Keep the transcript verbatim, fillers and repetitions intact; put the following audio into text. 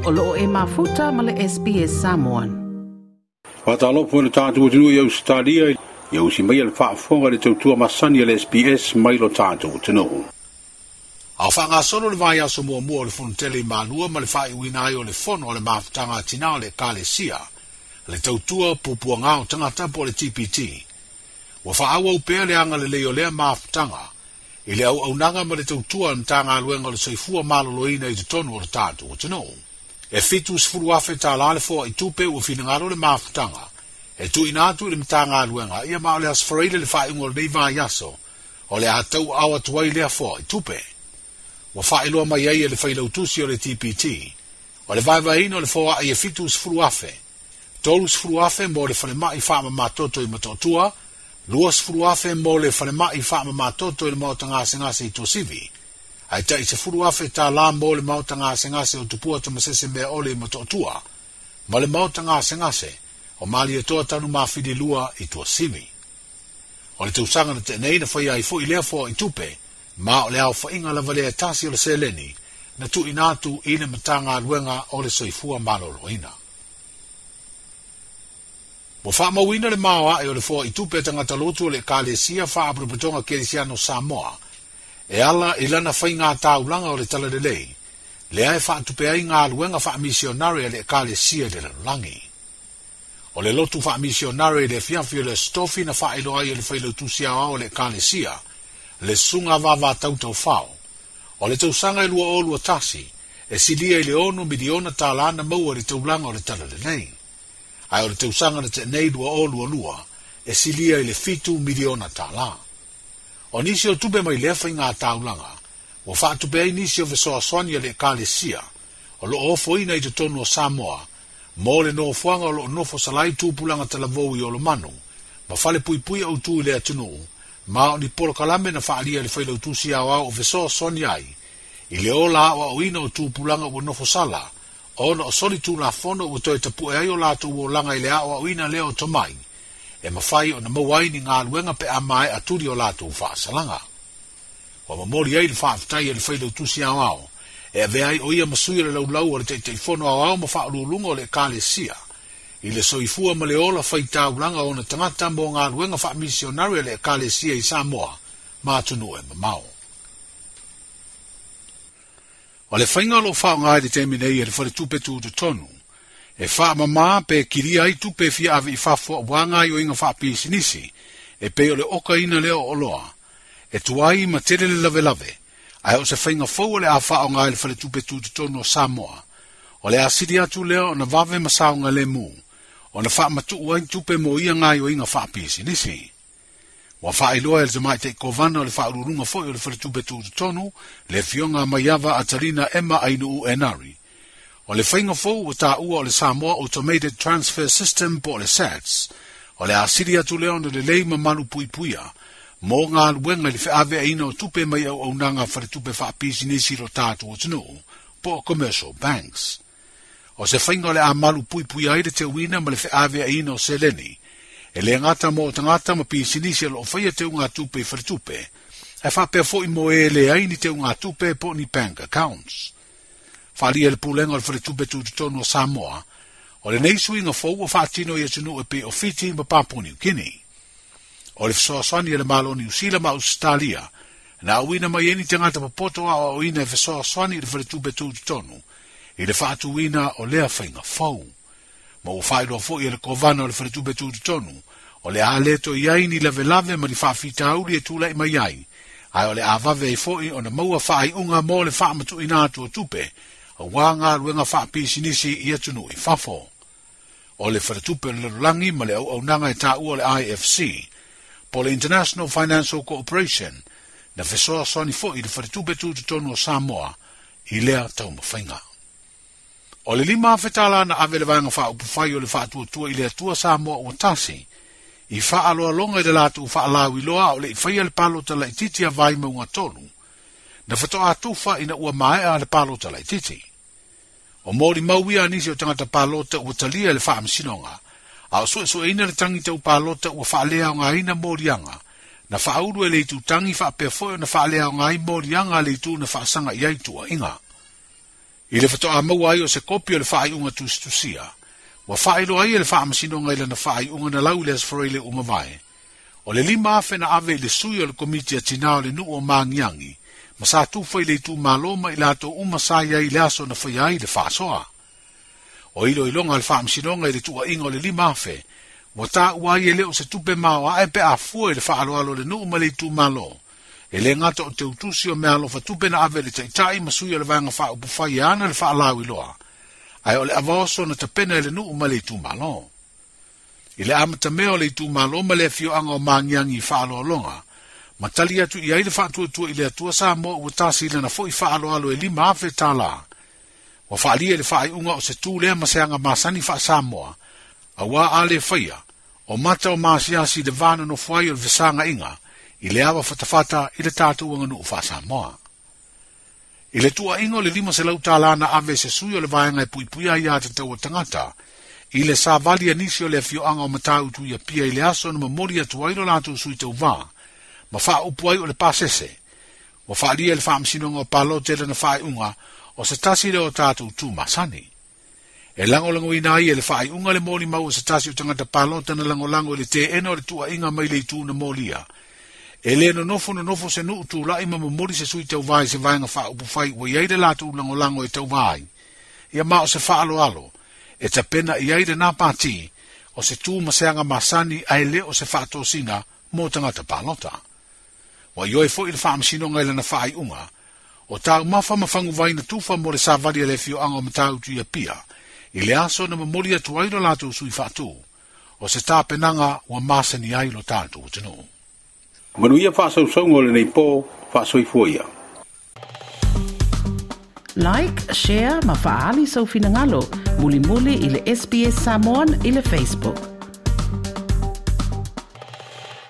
O loo e mafuta ma le S B S Samoan. Whātalopo le tātou atunuu i Australia, ia usi mai le faafofoga le tautua masani a le S B S mai lo tātou atunuu. A whangasolo le vai aso muamua o le fonotele i Malua ma le whaiuina ai o le fono o le mafutaga a tina o le Ekalesia, le tautua pupuanga o tangata po le T P T. Ua whaawau pea le anga le lei o lea mafutaga, i le au aunaga ma le tautua na tāngāluenga o le soifua maloloina i totonu o le tātou atunuu. E fitu sefulu afe tālā le foa i tupe ua finagalo le mafutaga, e tuuina atu i le Matagaluega ia ma o le aso Faraile le faaiuga o lenei vaiaso, o le a tau ao atu ai lea foa i tupe. Ua faailoa mai ai e le failautusi o le T P T, o le vaevaeina o le foaai e fitu sefulu afe, tolu sefulu afe mo le falemai faamamatoto i Motootua, lua sefulu afe mo le falemai faamamatoto i le maota gasegase i Tuasivi, ae tai sefulu afe tālā mo le maota gasegase o Tupua Tamasese Mea Ole i Motootua, ma le maota gasegase o Malietoa Tanu Mafili Lua i Tuasivi. O le tausaga na tenei na whai ai fo i lea foa i tupe, ma o le au whainga lava lea tasi o le seleni, na tuuina atu i le Matagaluega o le Soifua Maloloina. Ua faamauina le maoae o le foa i tupe tagata lotu o le Ekalesia Faapotopotoga Kerisiano Samoa, e ala i lana whainga taulaga o le talalelei, lea e faatupe ai galuega faamisionare a le Ekalesia i le lalolagi. O le lotu faamisionare i le afiafi o le Stofi na faailoa ai e le failautusi aoao o le Ekalesia, le susuga vavatautaufao. O le tausaga e lua o lua tasi, e silia i le ono miliona tālā na maua i le taulaga o le talalelei. Ae o le tausaga na tenei lua o lua lua, e silia i le fitu miliona tālā. O nisi o tupe mai lea whainga taulaga, ua faatupe ai nisi o fesoasoani a le Ekalesia, o loo ofoina i totonu o Samoa, mo le nofoaga o loo nofo salai tupulaga talavou i Olomanu, ma fale puipui autu i le atunuu, ma o ni polokalame na faalia i le failautusi aoao o fesoasoani ai, i le ola aoaoina o tupulaga ua nofo sala, ona o soli tulafono ua toe tapue ai o latou olaga i le aoaoina lea o tomai, e mafai ona maua ai ni galuega pe a maea tuli o latou faasalaga. Ua momoli ai le faafetai a le failautusi aoao, e avea ai o ia ma sui o le laulau o le taitaifono aoao ma faauluuluga o le Ekalesia, i le soifua ma le ola faitaulaga ona tagata mo galuega faamisionare a le Ekalesia i Samoa ma atunuu e mamao. O le whainga o lo whaonga i le taimi nei e le faletupe tutotonu, e whaamamā pe kiria ai tupe fia ave i fafo auā ngā ioinga whaapisinisi, e pei o le okaina lea o oloa, e tuai ma tele le lavelave, ae o se whainga fou o le a whaonga i le faletupe tutotonu o Samoa, o le asili atu lea o na vave masaonga le mu, o na whaamatuu ai tupe mo ia ngā ioinga whaapisinisi. Ua faailoa e le tamaitai kovana o le faauluuluga foi o le faletupe tutotonu, le afioga Maiava Atalina Emma Ainuu Enari. O le whainga fou ua tāua o le Samoa Automated Transfer System po o le S A T S, o le asili atu lea ona lelei ma malu puipuia, mo galuega i le feaveaina o tupe mai auaunaga faletupe faapisinisi i lo tatou atunuu, po o commercial banks. O se whainga o le a malu puipuia ai le teuina ma le feaveaina o seleni, e le ngata mo tagata ma pisinisi o loo whaia te unga tupe i faletupe, e whapea foi mo e le ai ni te unga tupe po ni bank accounts. Whaalia le pulenga o le faletupe tutotonu o Samoa, o lenei suiga fou ua faatino i atunuu e pei o Fiti ma Papua New Guinea. O le fesoasoani e le Malo o Niu Sila ma Australia, na auina mai ai ni tagata popoto aoaoina e fesoasoani i le faletupe tutotonu, i le faatuina o lea whainga fou. Ma ua faailoa foi e le kovana o le faletupe tutotonu, o le a leto i ai ni lavelave ma ni faafitauli e tulai mai ai, ae o le a vave ai foi ona maua faaiuga mo le faamatuuina atu o tupe, auā galuega faapisinisi i atunuu i fafo. O le faletupe o le lalolagi ma le auaunaga e tāua o le I F C, po le International Financial Corporation, na fesoasoani foi i le faletupe tutotonu o Samoa i lea taumafaiga. O le lima afe tālā na ave le vaega faaupufai o le faatuatua i le Atua Samoa ua tasi, i faaloaloga i le latou faalauiloa o le i faia le palota laitiiti a Vaimauga tolu, na fatoa tufa ina ua maea le palota laitiiti. O molimau ia nisi o tagata palota ua talia i le faamasinoga, a o suesueina le tangi tau palota ua faaleaogaina moliaga, na faaulu e le itutangi faapea foi ona faaleaoga ai moliaga a le itu na faasaga i ai tuuaiga. I le fatoa maua ai o se kopi o le faaiuga tusitusia, ua faailoa ai e le faamasinoga i lana faaiuga na lau i le Aso Faraile ua mavae, o le lima afe na ave i le sui o le komiti a tinā o le nuu o Magiagi, ma sa tufa i le itumalo ma i latou uma sa i ai i le aso na faia ai le faasoa. O iloiloga a le faamasinoga i le tuuaiga o le lima afe, ua taua ai e le o se tupe maoae pe a fua i le faaaloalo o le nuu ma le itumalo, e le gata o teutusi o meaalofa tupe na ave i le taitai ma sui o le vaega faaupufai e ana le faalauiloa, ae o le avaoso na tapena e le nuu ma le itumalo. I le amatamea o le itumalo ma le afioaga o Magiagi i faaaloaloga, ma tali atu i ai le faatuatua i le Atua Samoa ua tasi i lana foi faaaloalo e lima afe tālā. Ua faaalia i le faaiuga o se tu lea ma se aga masani faa-Samoa, auā a le faia, o mata o maasiasi i le va nonofo ai o le fesaga'iga, i le ava fatafata i le tatou aganuu faa-Samoa. I le tuuaiga o le lima selau tālā na ave e se sui o le vaega e puipuia ai iā tatau a tagata, i le savali a nisi o le afioaga o Matautu i Apia i le aso na momoli atu ai lo latou sui tauvā, ma faaupu ai o le pasese, ua faaalia e le faamasinoga o palota i lana faaiuga o se tasi lea o tatou tu masani. E lagolagoina ai e le faaiuga le molimau o se tasi o tagata palota na lagolago i le teena o le tuuaiga mai le itu na molia. E le nonofo nonofo se nuu tulai ma momoli se sui tauvā i se vaega faaupufai ua i ai le latou lagolago e tauvā ai. Ia ma o se faaaloalo, e tapena i ai lenā pati, o se tu ma se aga masani ae le o se faatosina mo tagata palota. Ua ioe foi le faamasinoga i lana faaiuga, o taumafa ma faguvai na tufa mo le savali a le afioaga o Matautu i Apia, i le aso na momoli atu ai lo latou sui faatū, o se tapenaga ua masani ai lo tatou atunuu. Manuia faasausauga o lenei po, faasoifua ia. Like, share ma faaali sou finagalo, mulimuli i le S B S Samoan i le Facebook.